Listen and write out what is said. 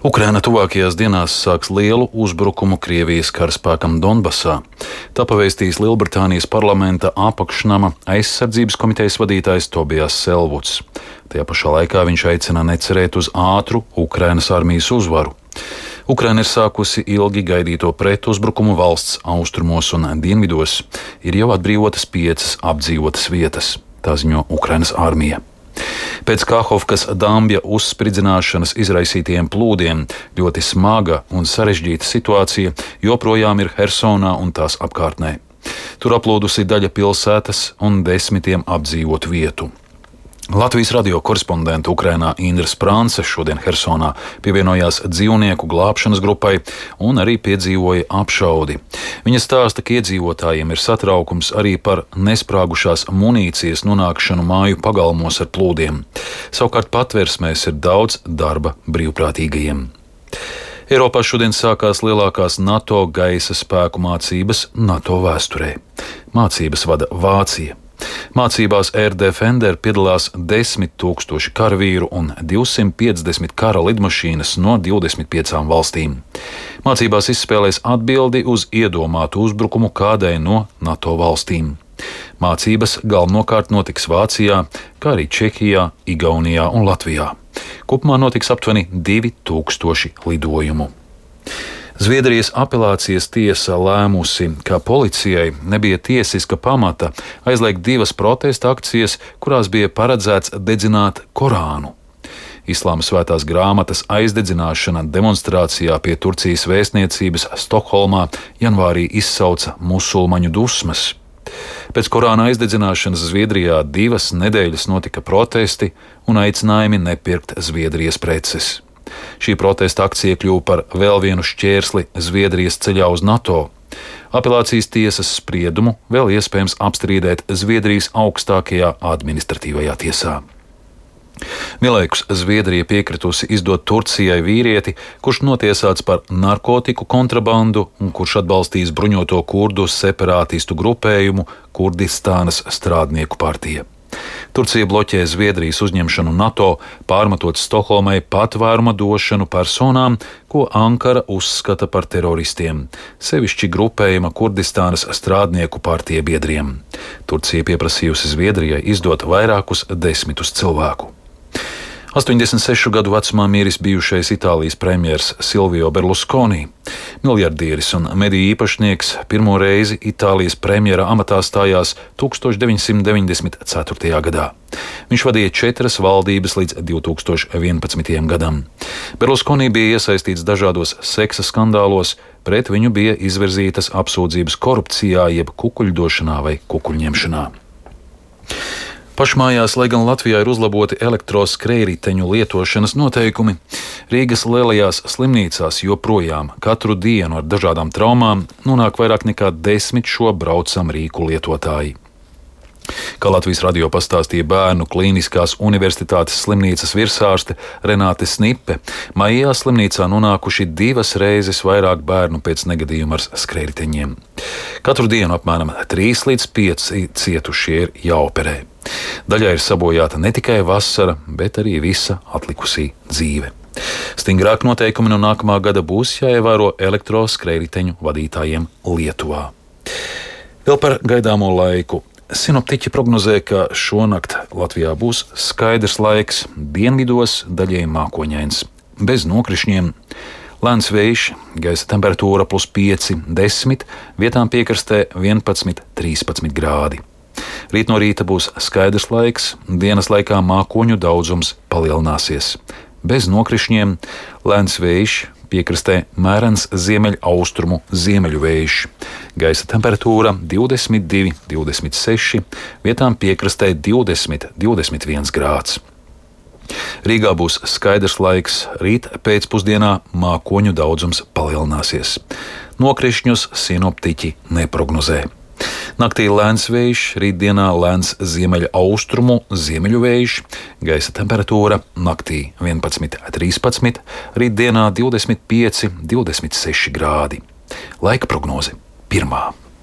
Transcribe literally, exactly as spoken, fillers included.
Ukraina tuvākajās dienās sāks lielu uzbrukumu Krievijas karaspēkam Donbasā. Tā pavēstījis Lielbritānijas parlamenta apakšnama aizsardzības komitejas vadītājs Tobijs Selvuds. Tajā pašā laikā viņš aicina necerēt uz ātru Ukrainas armijas uzvaru. Ukraina ir sākusi ilgi gaidīto pretuzbrukumu valsts austrumos un dienvidos. Ir jau atbrīvotas piecas apdzīvotas vietas, tā ziņo Ukrainas armija. Pēc Kahovkas Dambja uzspridzināšanas izraisītajiem plūdiem ļoti smaga un sarežģīta situācija joprojām ir Hersonā un tās apkārtnē. Tur aplūdusi daļa pilsētas un desmitiem apdzīvotu vietu. Latvijas radio korespondente Ukrainā Indra Sprānce šodien Hersonā pievienojās dzīvnieku glābšanas grupai un arī piedzīvoja apšaudi. Viņa stāsta, ka iedzīvotājiem ir satraukums arī par nesprāgušās munīcijas nonākšanu māju pagalmos ar plūdiem. Savukārt patversmēs ir daudz darba brīvprātīgajiem. Eiropā šodien sākās lielākās NATO gaisa spēku mācības NATO vēsturē. Mācības vada Vācija. Mācībās Air Defender piedalās desmit tūkstoši karavīru un divsimt piecdesmit kara lidmašīnas no divdesmit piecām valstīm. Mācībās izspēlēs atbildi uz iedomātu uzbrukumu kādai no NATO valstīm. Mācības galvenokārt notiks Vācijā, kā arī Čehijā, Igaunijā un Latvijā. Kopumā notiks aptuveni divi tūkstoši lidojumu. Zviedrijas apelācijas tiesa lēmusi, ka policijai nebija tiesiska pamata aizliegt divas protesta akcijas, kurās bija paredzēts dedzināt Korānu. Islāma svētās grāmatas aizdedzināšana demonstrācijā pie Turcijas vēstniecības Stokholmā janvārī izsauca musulmaņu dusmas. Pēc Korāna aizdedzināšanas Zviedrijā divas nedēļas notika protesti un aicinājumi nepirkt Zviedrijas preces. Šī protesta akcija kļuva par vēl vienu šķērsli Zviedrijas ceļā uz NATO. Apelācijas tiesas spriedumu vēl iespējams apstrīdēt Zviedrijas augstākajā administratīvajā tiesā. Vienlaikus Zviedrija piekritusi izdot Turcijai vīrieti, kurš notiesāts par narkotiku kontrabandu un kurš atbalstīs bruņoto kurdu separātistu grupējumu Kurdistānas strādnieku partija. Turcija bloķē Zviedrijas uzņemšanu NATO, pārmetot Stokholmai patvēruma došanu personām, ko Ankara uzskata par teroristiem, sevišķi grupējuma Kurdistānas strādnieku partija biedriem. Turcija pieprasījusi Zviedrijai izdot vairākus desmitus cilvēku. astoņdesmit sešu gadu vecumā miris bijušais Itālijas premjers Silvio Berlusconi. Miljardieris un mediju īpašnieks pirmo reizi Itālijas premjera amatā stājās tūkstoš deviņsimt deviņdesmit ceturtajā gadā. Viņš vadīja četras valdības līdz divi tūkstoši vienpadsmitajam gadam. Berlusconi bija iesaistīts dažādos seksa skandālos, pret viņu bija izvirzītas apsūdzības korupcijā jeb kukuļdošanā vai kukuļņemšanā. Pašmājās, lai gan Latvijā ir uzlaboti elektroskrējriteņu lietošanas noteikumi, Rīgas lielajās slimnīcās joprojām katru dienu ar dažādām traumām nonāk vairāk nekā desmit šo braucam rīku lietotāji. Kā Latvijas radio pastāstīja Bērnu klīniskās universitātes slimnīcas virsārste Renāte Snipe, maijā slimnīcā nonākuši divas reizes vairāk bērnu pēc negadījuma ar skrējriteņiem. Katru dienu apmēram trīs līdz pieci cietušie ir jāoperē. Daļai ir sabojāta ne tikai vasara, bet arī visa atlikusī dzīve. Stingrāk noteikumi no nākamā gada būs jāievēro elektroskrējriteņu vadītājiem Lietuvā. Vēl par gaidāmo laiku. Sinoptiķi prognozē, ka šonakt Latvijā būs skaidrs laiks, dienvidos daļēji mākoņains, bez nokrišņiem. Lēns vējš, gaisa temperatūra plus pieci, desmit, vietām piekrastē vienpadsmit, trīspadsmit grādi. Rīt no rīta būs skaidrs laiks, dienas laikā mākoņu daudzums palielināsies. Bez nokrišņiem, lēns vējš, piekrastē mērens ziemeļaustrumu ziemeļu vējš. Gaisa temperatūra divdesmit divi, divdesmit seši, vietām piekrastē divdesmit, divdesmit viens grāds. Rīgā būs skaidrs laiks, rīt pēcpusdienā mākoņu daudzums palielināsies. Nokrišņus sinoptiķi neprognozē. Naktī lēns vējš, rītdienā lēns ziemeļaustrumu ziemeļu vējš, gaisa temperatūra naktī vienpadsmit, trīspadsmit, rītdienā divdesmit pieci, divdesmit seši grādi. Laika prognoze pirmā.